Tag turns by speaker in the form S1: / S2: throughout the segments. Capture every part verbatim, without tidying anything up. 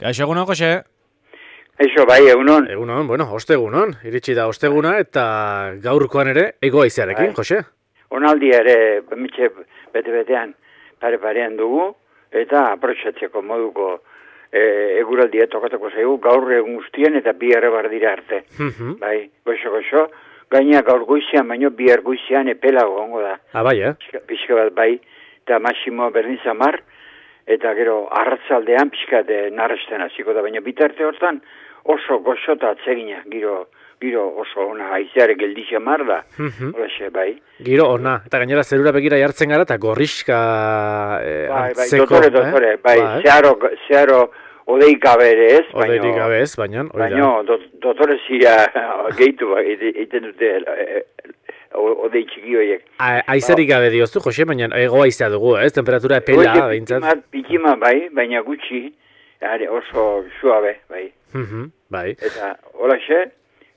S1: Kaixo egunon, Jose?
S2: Eixo, bai, egunon.
S1: Egunon, bueno, ostegunon, iritsi da osteguna eta gaurkoan ere egoaizearekin,
S2: Bai.
S1: Jose?
S2: Onaldi ere, mitxe bete-betean pare-parean dugu, eta aprotxatzeko moduko e, eguraldia tokatuko zaigu, gaur egun guztien eta bi errebar dira arte.
S1: Mhm.
S2: Bai, goxo-goxo, gaina gaur goizean, baino bi goizean epelago gongo da.
S1: Ah, bai, eh?
S2: Pixka, pixka bat bai, eta Maximo berdin zamar, eta gero arratzaldean pixka de narresten hasiko da, baina bitarte hortan oso goxota atsegina, giro, giro oso ona haizeare geldixe mar da,
S1: Mhm.
S2: Olaxe, bai.
S1: Giro ona, eta gainera zerura begira jartzen gara eta gorriska eh,
S2: Bai, bai,
S1: antzeko,
S2: dotore, dotore,
S1: eh?
S2: bai,
S1: Bai.
S2: zeharo, zeharo odeik ere ez,
S1: Odeirik gabe ez, baina, hori da.
S2: baino, dot, dotore zira gehitu ba, egiten dute eh, odei txiki horiek.
S1: A- Aizerik gabe dioztu, Jose, baina egoaizea dugu, ez? Temperatura epela,
S2: Oie,
S1: behintzat.
S2: pikima, pikima bai, baina gutxi, are, oso suabe, bai.
S1: Mhm, bai.
S2: Eta holaxe,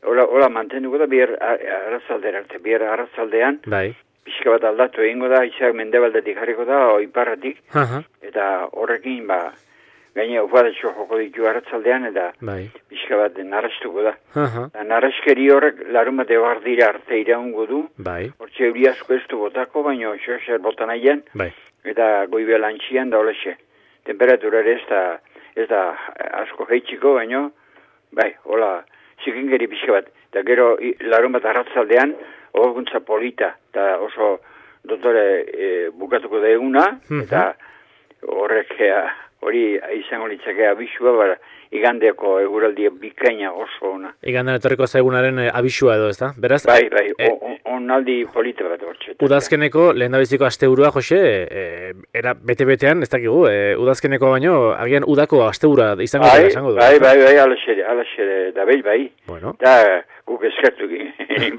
S2: hola, hola mantenduko da bier arrazaldera arte, bier arrazaldean,
S1: Bai.
S2: pixka bat aldatu egingo da, izak mendebaldetik jarriko da, o iparratik,
S1: Aha,
S2: eta horrekin, ba, gaine ufadatxo joko ditu arrazaldean, eta
S1: bai.
S2: pixka bat narrastuko da.
S1: Aha,
S2: Eta narraskeri horrek larun bat ebar dira arte iraungo du,
S1: bai.
S2: hortxe euri asko ez du botako, baina xoxer botan aian,
S1: Bai.
S2: eta goibe lantxian da holaxe. Temperatura ere ez da, ez da asko heitxiko, baina, bai, hola, zikingeri pixka bat. Eta gero i- larun bat arratzaldean, hoguntza polita, eta oso dotore e, bukatuko da eguna,
S1: Mhm.
S2: eta horrek ea, hori izango litzake abisua, bara, igandeko eguraldia bikaina oso ona.
S1: Igandan etorriko zaigunaren eh, abisua edo, ez da? Beraz,
S2: Bai, bai,
S1: e-
S2: o- o- onaldi polita bat hortxe.
S1: udazkeneko lehendabiziko asteburua, Jose, e, era bete-betean, ez dakigu, e, udazkeneko baino, agian udako asteburua izango dela
S2: Bai,
S1: esango du.
S2: bai, bai, bai, alaxe, alaxe da bai, bai.
S1: Bueno,
S2: Da, guk eskertu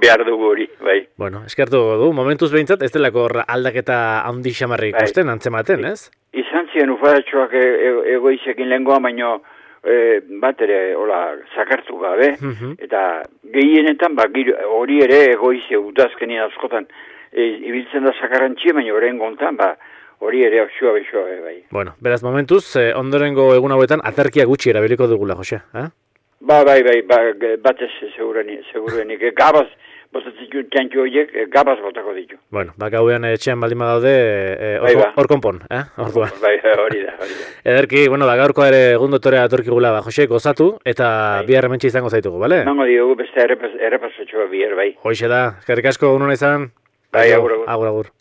S2: behar dugu hori, bai.
S1: bueno, eskertu du, momentuz behintzat, ez delako hor aldaketa handi xamarrik
S2: Bai.
S1: ikusten, antzematen, ez?
S2: Izan ziren ufadatxoak e, e, egoizekin lehengoa, baino e, bat ere, hola, zakartu gabe.
S1: Mhm.
S2: Eta gehienetan, ba, giro- hori ere egoize udazkenien askotan e, ibiltzen da zakarrantxie, baina horren gontan, ba, hori ere osua besoa, bai.
S1: Bueno, beraz, momentuz, eh, ondorengo egun hauetan aterkia gutxi erabiliko dugula, Jose, eh?
S2: Ba, bai, bai, ba, ge- batez segurenik, segurenik. E, gabaz, botatzen ditu txantxo horiek, e, gabaz botako ditu.
S1: Bueno, ba, gauean etxean baldin badaude, eh,
S2: Bai,
S1: hor
S2: ba.
S1: hor konpon, eh? Orduan.
S2: Bai, hori da, hori da.
S1: Ederki, bueno, ba, gaurkoa ere egun dotorea atorkigula, ba, Jose, gozatu, eta
S2: Bai.
S1: bihar hementxe izango zaitugu, bale?
S2: Emango diogu beste errepas, errepasotxoa bier, bai.
S1: Hoxe da, eskerrik asko, unona izan?
S2: Bai, agur, agur.
S1: Agur, agur.